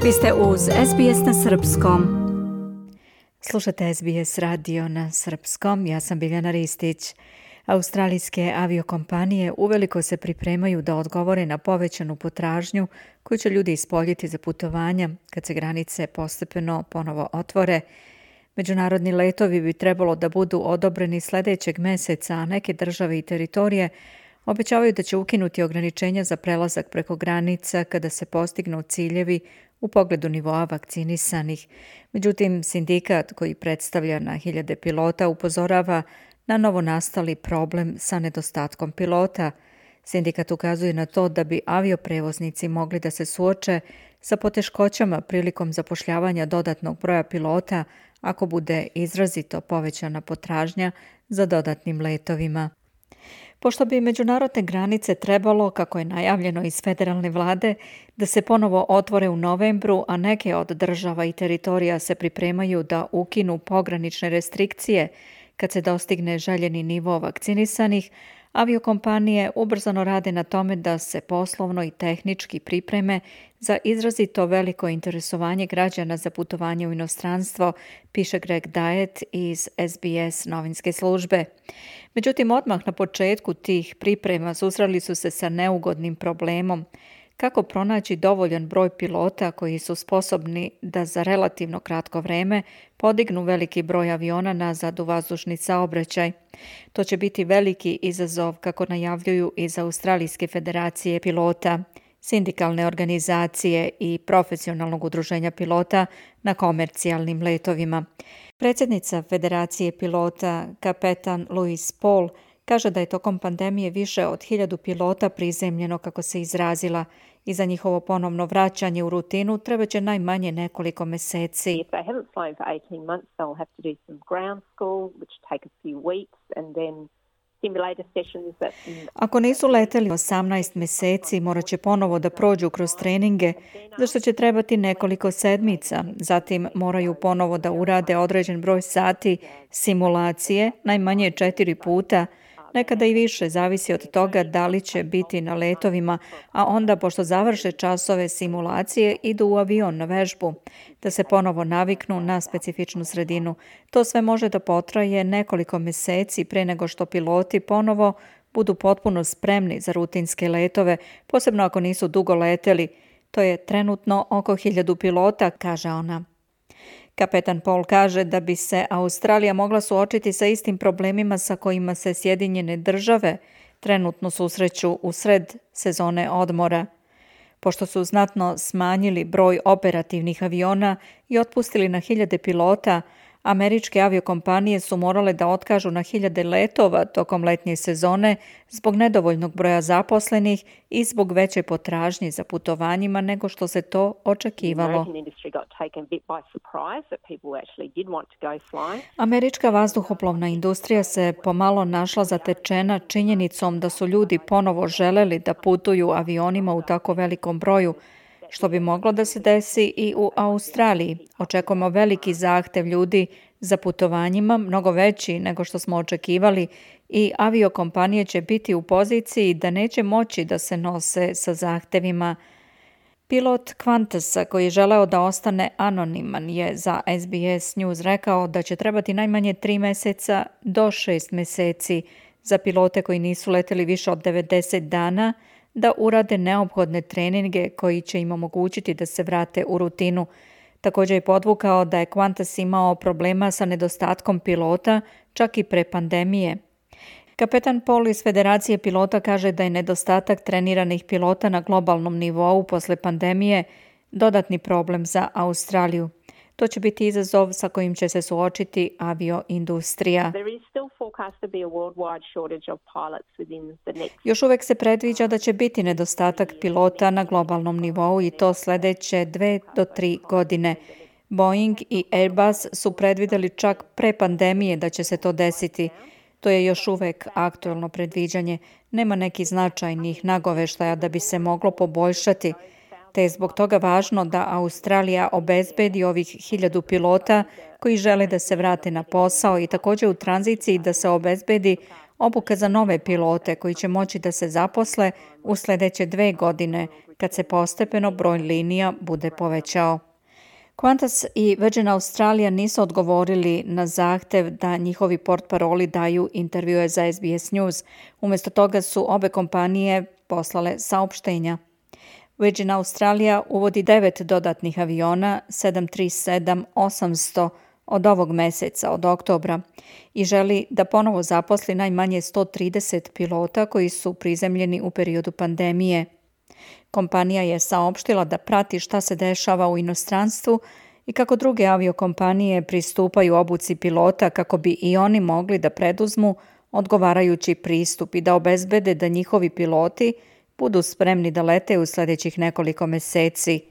Vi ste uz SBS na srpskom. Slušate SBS radio na srpskom. Ja sam Biljana Ristić. Australijske aviokompanije uveliko se pripremaju da odgovore na povećanu potražnju koju će ljudi ispoljiti za putovanja kad se granice postepeno ponovo otvore. Međunarodni letovi bi trebalo da budu odobreni sljedećeg meseca, a neke države i teritorije obećavaju da će ukinuti ograničenja za prelazak preko granica kada se postignu ciljevi u pogledu nivoa vakcinisanih. Međutim, sindikat koji predstavlja na hiljade pilota upozorava na novonastali problem sa nedostatkom pilota. Sindikat ukazuje na to da bi avioprevoznici mogli da se suoče sa poteškoćama prilikom zapošljavanja dodatnog broja pilota ako bude izrazito povećana potražnja za dodatnim letovima. Pošto bi međunarodne granice trebalo, kako je najavljeno iz federalne vlade, da se ponovo otvore u novembru, a neke od država i teritorija se pripremaju da ukinu pogranične restrikcije kad se dostigne željeni nivo vakcinisanih, aviokompanije ubrzano rade na tome da se poslovno i tehnički pripreme za izrazito veliko interesovanje građana za putovanje u inostranstvo, piše Greg Diet iz SBS novinske službe. Međutim, odmah na početku tih priprema susreli su se sa neugodnim problemom. Kako pronaći dovoljan broj pilota koji su sposobni da za relativno kratko vreme podignu veliki broj aviona nazad u vazdušni saobraćaj? To će biti veliki izazov, kako najavljuju iz Australijske federacije pilota, sindikalne organizacije i profesionalnog udruženja pilota na komercijalnim letovima. Predsjednica Federacije pilota, kapetan Louise Paul, kaže da je tokom pandemije više od 1000 pilota prizemljeno, kako se izrazila, i za njihovo ponovno vraćanje u rutinu treba će najmanje nekoliko meseci. Ako nisu leteli 18 meseci, morat će ponovo da prođu kroz treninge, za što će trebati nekoliko sedmica. Zatim moraju ponovo da urade određen broj sati simulacije, najmanje 4 puta, nekada i više, zavisi od toga da li će biti na letovima, a onda, pošto završe časove simulacije, idu u avion na vežbu, da se ponovo naviknu na specifičnu sredinu. To sve može da potraje nekoliko meseci pre nego što piloti ponovo budu potpuno spremni za rutinske letove, posebno ako nisu dugo leteli. To je trenutno oko 1000 pilota, kaže ona. Kapetan Paul kaže da bi se Australija mogla suočiti sa istim problemima sa kojima se Sjedinjene države trenutno susreću u sred sezone odmora. Pošto su znatno smanjili broj operativnih aviona i otpustili na hiljade pilota, američke aviokompanije su morale da otkažu na hiljade letova tokom letnje sezone zbog nedovoljnog broja zaposlenih i zbog veće potražnje za putovanjima nego što se to očekivalo. Američka vazduhoplovna industrija se pomalo našla zatečena činjenicom da su ljudi ponovo želeli da putuju avionima u tako velikom broju, što bi moglo da se desi i u Australiji. Očekujemo veliki zahtev ljudi za putovanjima, mnogo veći nego što smo očekivali, i aviokompanije će biti u poziciji da neće moći da se nose sa zahtevima. Pilot Qantasa, koji je želeo da ostane anoniman, je za SBS News rekao da će trebati najmanje 3 meseca do 6 meseci za pilote koji nisu leteli više od 90 dana, da urade neophodne treninge koji će im omogućiti da se vrate u rutinu. Također je podvukao da je Qantas imao problema sa nedostatkom pilota čak i pre pandemije. Kapetan Paul iz Federacije pilota kaže da je nedostatak treniranih pilota na globalnom nivou posle pandemije dodatni problem za Australiju. To će biti izazov sa kojim će se suočiti avioindustrija. Još uvek se predviđa da će biti nedostatak pilota na globalnom nivou i to sljedeće 2 do 3 godine. Boeing i Airbus su predvideli čak pre pandemije da će se to desiti. To je još uvek aktuelno predviđanje. Nema nekih značajnih nagoveštaja da bi se moglo poboljšati, te je zbog toga važno da Australija obezbedi ovih 1000 pilota koji žele da se vrate na posao i također u tranziciji da se obezbedi obuka za nove pilote koji će moći da se zaposle u sljedeće 2 godine kad se postepeno broj linija bude povećao. Qantas i Virgin Australia nisu odgovorili na zahtev da njihovi portparoli daju intervjue za SBS News. Umjesto toga su obe kompanije poslale saopštenja. Virgin Australia uvodi 9 dodatnih aviona 737-800 od ovog meseca, od oktobra, i želi da ponovo zaposli najmanje 130 pilota koji su prizemljeni u periodu pandemije. Kompanija je saopštila da prati šta se dešava u inostranstvu i kako druge aviokompanije pristupaju obuci pilota kako bi i oni mogli da preduzmu odgovarajući pristup i da obezbede da njihovi piloti budu spremni da lete u sljedećih nekoliko meseci.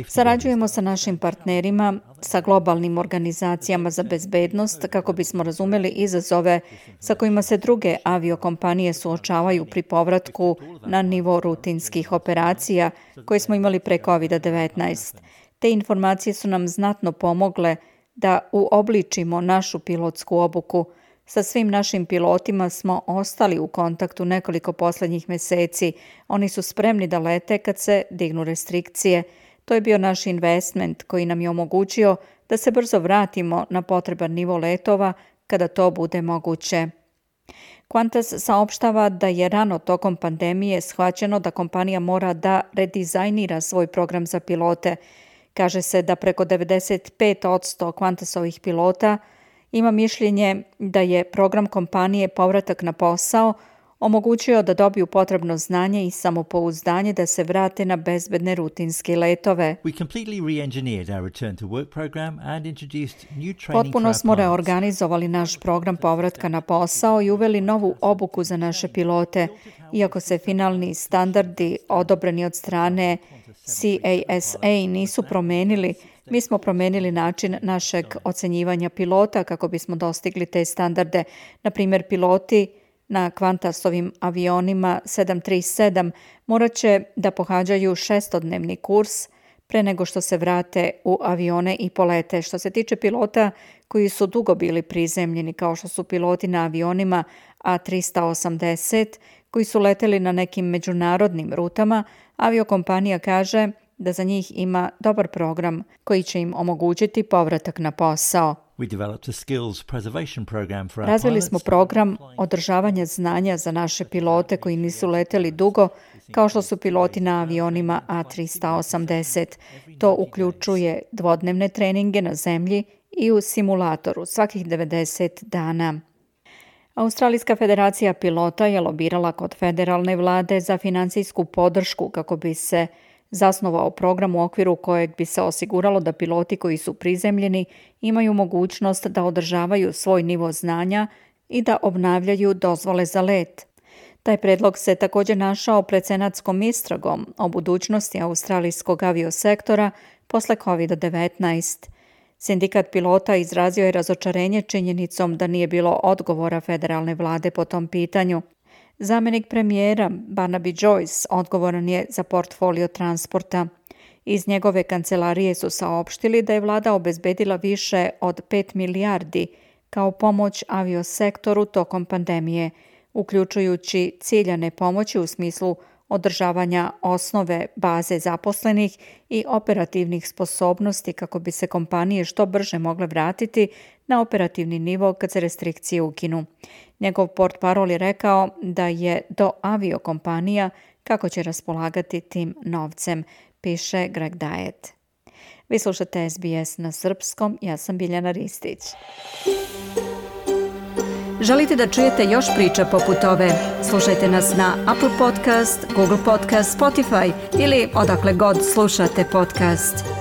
Sarađujemo sa našim partnerima, sa globalnim organizacijama za bezbednost kako bismo razumeli izazove sa kojima se druge aviokompanije suočavaju pri povratku na nivo rutinskih operacija koje smo imali pre COVID-19. Te informacije su nam znatno pomogle da uobličimo našu pilotsku obuku. Sa svim našim pilotima smo ostali u kontaktu nekoliko posljednjih meseci. Oni su spremni da lete kad se dignu restrikcije. To je bio naš investment koji nam je omogućio da se brzo vratimo na potreban nivo letova kada to bude moguće. Qantas saopštava da je rano tokom pandemije shvaćeno da kompanija mora da redizajnira svoj program za pilote. Kaže se da preko 95% Qantasovih pilota ima mišljenje da je program kompanije Povratak na posao omogućio da dobiju potrebno znanje i samopouzdanje da se vrate na bezbedne rutinske letove. Potpuno smo reorganizovali naš program povratka na posao i uveli novu obuku za naše pilote. Iako se finalni standardi odobreni od strane CASA nisu promenili, mi smo promenili način našeg ocenjivanja pilota kako bismo dostigli te standarde. Na primjer, piloti na Qantasovim avionima 737 morat će da pohađaju 6-dnevni kurs pre nego što se vrate u avione i polete. Što se tiče pilota koji su dugo bili prizemljeni, kao što su piloti na avionima A380, koji su leteli na nekim međunarodnim rutama, aviokompanija kaže da za njih ima dobar program koji će im omogućiti povratak na posao. Razvili smo program održavanja znanja za naše pilote koji nisu leteli dugo, kao što su piloti na avionima A380. To uključuje dvodnevne treninge na zemlji i u simulatoru svakih 90 dana. Australijska federacija pilota je lobirala kod federalne vlade za finansijsku podršku kako bi se zasnovao program u okviru kojeg bi se osiguralo da piloti koji su prizemljeni imaju mogućnost da održavaju svoj nivo znanja i da obnavljaju dozvole za let. Taj predlog se također našao pred senatskom istragom o budućnosti australijskog aviosektora posle COVID-19. Sindikat pilota izrazio je razočarenje činjenicom da nije bilo odgovora federalne vlade po tom pitanju. Zamjenik premijera Barnaby Joyce odgovoran je za portfolio transporta. Iz njegove kancelarije su saopštili da je vlada obezbedila više od 5 milijardi kao pomoć aviosektoru tokom pandemije, uključujući ciljane pomoći u smislu održavanja osnove baze zaposlenih i operativnih sposobnosti kako bi se kompanije što brže mogle vratiti na operativni nivo kad se restrikcije ukinu. Njegov portparol je rekao da je do aviokompanija kako će raspolagati tim novcem, piše Greg Diet. Vi slušate SBS na srpskom, ja sam Biljana Ristić. Želite da čujete još priča poput ove? Slušajte nas na Apple Podcast, Google Podcast, Spotify ili odakle god slušate podcast.